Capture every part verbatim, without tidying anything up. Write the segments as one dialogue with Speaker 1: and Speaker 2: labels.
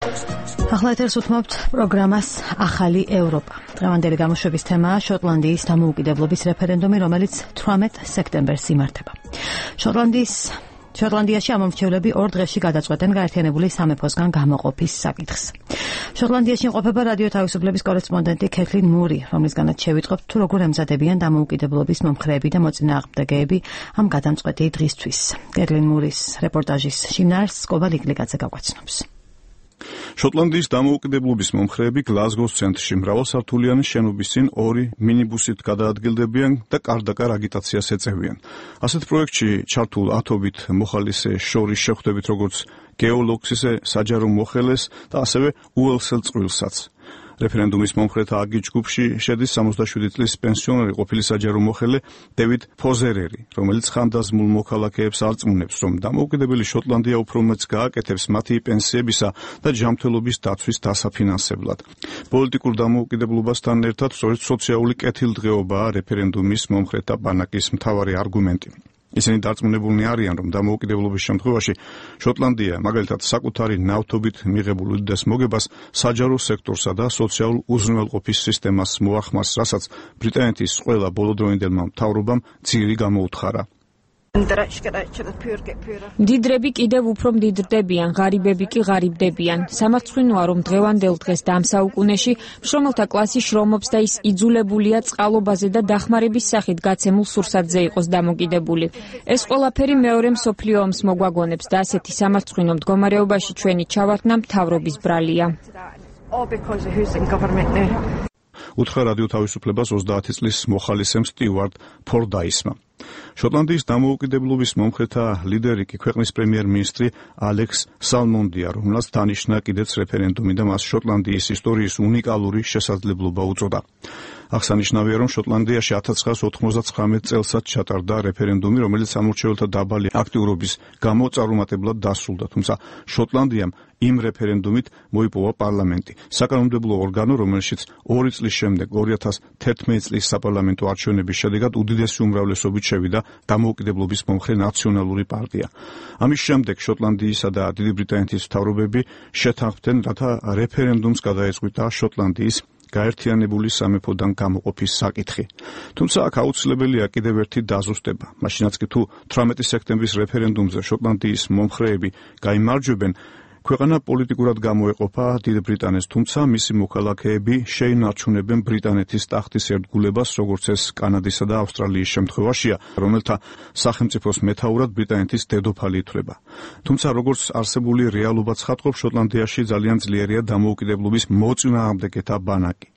Speaker 1: ახლა ეთერს უთმობთ პროგრამას ახალი ევროპა. დღევანდელი გამოშვების თემაა შოტლანდიის დამოუკიდებლობის რეფერენდუმი, რომელიც თვრამეტ სექტემბერს იმართება. შოტლანდიის შოტლანდიაში ამომრჩევლები ორ დღეში გადაწყვეტენ გაერთიანებული სამეფოსგან გამოყოფის საკითხს. შოტლანდიაში იმყოფება რადიო თავისუფლების კორესპონდენტი კეთლინ მური, რომლისგანაც შევიტყობთ თუ როგორ ემზადებიან დამოუკიდებლობის მომხრეები და მოწინააღმდეგეები ამ გადამწყვეტი დღისთვის. კეთლინ მურის რეპორტაჟის შინაარსს კოვა ლიკლიკაძე გაგვაცნობს.
Speaker 2: შოტლანდიის დამოუკიდებლობის მომხრეები გლაზგოს ცენტრში მრავალსართულიანი შენობის წინ ორი მინიბუსით გადაადგილდებიან და კარდაკარ აგიტაციას ეწევიან. ასეთ პროექტში ჩართულ ათობით მოხალისე შორის შეხვდებით როგორც გეოლოგს, ისე საჯარო მოხელეს და ასევე უელსელ წყვილსაც. რეფერენდუმის მომხრეთა აკი ჯგუფში შედის სამოცდაშვიდი წლის პენსიონერი ყოფილი საჯარო მოხელე დევიდ ფოზერერი, რომელიც ხანდაზმულ მოქალაქეებს არწმუნებს, რომ დამოუკიდებელი შოტლანდია უფრო მეც გააკეთებს მათი პენსიებისა და ჯანმრთელობის დაცვის დასაფინანსებლად. პოლიტიკურ დამოუკიდებლობასთან ერთად სწორედ სოციალური კეთილდღეობაა რეფერენდუმის მომხრეთა ბანაკის მთავარი არგუმენტი. ისინი დარწმუნებულნი არიან, რომ დამოუკიდებლობის შემთხვევაში შოტლანდია მაგალითად საკუთარი ნავთობით მიღებულ უდიდეს მოგებას საჯარო სექტორსა და სოციალურ უზრუნველყოფის სისტემას მოახმარს, რასაც ბრიტანეთის ყველა ბოლოდროინდელმა მთავრობამ ძირი გამოუთხარა.
Speaker 3: მდიდრები კიდევ უფრო მდიდრდებიან, ღარიბები კი ღარიბდებიან. სამარცხვინოა, რომ დღევანდელ დღეს და ამ საუკუნეში მშრომელთა კლასი შრომობს და ის იძულებულია წყალობაზე და დახმარების სახით გაცემულ სურსათზე იყოს დამოკიდებული. ეს ყველაფერი მეორე მსოფლიო ომს მოგვაგონებს და ასეთი სამარცხვინო მდგომარეობაში ჩვენი ჩავარდნა მთავრობის ბრალია.
Speaker 2: უთხრა რადიო თავისუფლებას ოცდაათი წლის მოხალისემ სტიუარტ ფორდაისმა. შოტლანდიის დამოუკიდებლობის მომხრეთა ლიდერი კი ქვეყნის პრემიერ-მინისტრი ალექს სალმონდია, რომელსაც დანიშნა კიდეც რეფერენდუმი და მას შოტლანდიის ისტორიის უნიკალური შესაძლებლობა უწოდა. აღსანიშნავია, რომ შოტლანდიაში ათას ცხრაას ოთხმოცდაცხრამეტ წელსაც ჩატარდა რეფერენდუმი, რომელიც სამორჩეველთა დაბალი აქტიურობის გამო წარუმატებლად დასრულდა, თუმცა შოტლანდიამ იმ რეფერენდუმით მოიპოვა პარლამენტი, საკანონმდებლო ორგანო, რომელშიც ორი წლის შემდეგ ორი ათას თერთმეტი წლის საპარლამენტო არჩევნების შედეგად უდიდესი უმრავლესობით შევიდა დამოუკიდებლობის მომხრე ნაციონალური პარტია. ამის შემდეგ შოტლანდიისა და დიდი ბრიტანეთის მთავრობები შეთანხმდნენ, რათა რეფერენდუმს გადაეწყვიტა შოტლანდიის გაერთიანებული სამეფოდან გამოყოფის საკითხი. თუმცა აქ აუცილებელია კიდევ ერთი დაზუსტება. მაშინაც კი თუ თვრამეტი სექტემბრის რეფერენდუმზე შოტლანდიის მომხრეები გაიმარჯვებენ, ქვეყანა პოლიტიკურად გამოეყოფა დიდ ბრიტანეთს, თუმცა მისი მოქალაქეები შეინარჩუნებენ ბრიტანეთის ტახტის ერთგულებას, როგორც ეს კანადისა და ავსტრალიის შემთხვევაშია, რომელთა სახელმწიფოს მეთაურად ბრიტანეთის დედოფალი ითვლება. თუმცა როგორც არსებული რეალობა ცხადყოფს, შოტლანდიაში ძალიან ძლიერია დამოუკიდებლობის მოწინააღმდეგეთა ბანაკი.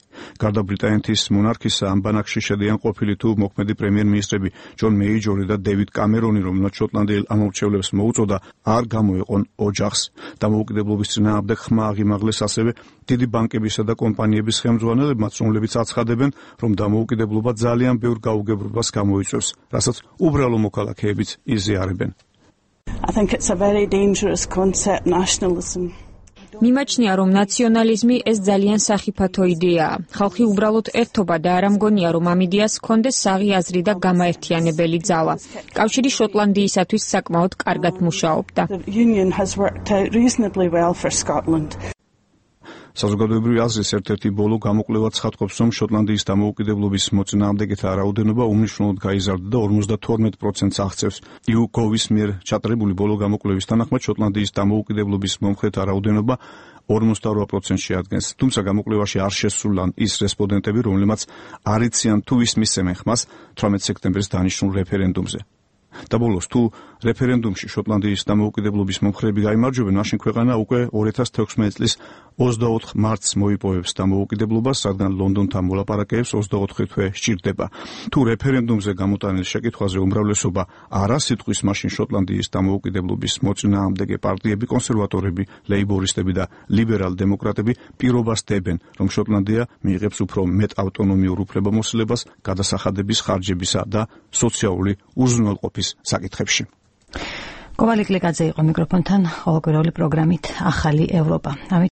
Speaker 2: გარდა ბრიტანეთის მონარქისა ამ ბანაკში შედიან ყოფილი თუ მოქმედი პრემიერ-მინისტრები ჯონ მეიჯორი და დევიდ კამერონი, რომელსაც შოტლანდიელ ამომრჩევლებს მოუწოდა არ გამოეყონ ოჯახს. დამოუკიდებლობის წინააღმდეგ ხმა აღიმაღლეს ასევე დიდი ბანკებისა და კომპანიების ხელმძღვანელებმაც, რომლებიც აცხადებენ, რომ დამოუკიდებლობა ძალიან ბევრ გაუგებრობას გამოიწვევს, რასაც უბრალო მოქალაქეებიც იზიარებენ.
Speaker 4: I think it's a very dangerous concept, nationalism.
Speaker 3: მიმაჩნია, რომ ნაციონალიზმი ეს ძალიან სახიფათო იდეაა. ხალხი უბრალოდ ერთობა და არ ამგონია, რომ ამ იდეას ჰქონდეს საღი აზრი და გამაერთიანებელი ძალა. კავშირი შოტლანდიისათვის საკმაოდ კარგად მუშაობდა.
Speaker 2: საზოგადოებრივი აზრის ერთ-ერთი ბოლო გამოკვლევა ცხადყოფს, რომ შოტლანდიის დამოუკიდებლობის მოწინააღმდეგეთა რაოდენობა უმნიშვნელოდ გაიზარდა და ორმოცდათორმეტ პროცენტს აღწევს. იუგოვის მიერ ჩატარებული ბოლო გამოკვლევის თანახმად შოტლანდიის დამოუკიდებლობის მომხრეთა რაოდენობა ორმოცდარვა პროცენტს შეადგენს. თუმცა გამოკვლევაში არ შესულან ის რესპონდენტები, რომლებმაც არ იციან თუ ვის მისცემენ ხმას თვრამეტ სექტემბრის დანიშნულ რეფერენდუმზე. და ბოლოს თუ რეფერენდუმში შოტლანდიის დამოუკიდებლობის მომხრეები გაიმარჯვებენ, მაშინ ქვეყანა უკვე ორი ათას თექვსმეტი წლის ოცდაოთხ მარტს მოიპოვებს დამოუკიდებლობას, რადგან ლონდონთან მოლაპარაკეებს ოცდაოთხი თვე სჭირდება. თუ რეფერენდუმზე გამოტანილ შეკითხვაზე უმრავლესობა არა სიტყვის, მაშინ შოტლანდიის დამოუკიდებლობის მოწინააღმდეგე პარტიები, კონსერვატორები, ლეიბორისტები და ლიბერალ-დემოკრატები პირობას დებენ, რომ შოტლანდია მიიღებს უფრო მეტ ავტონომიურ უფლებამოსილებას გადასახადების ხარჯებისა და სოციალური უზრუნველყოფის საკითხებში.
Speaker 1: კოვა ლიკლიკაძე იყო მიკროფონთან ყოველკვირეული პროგრამით ახალი ევროპა.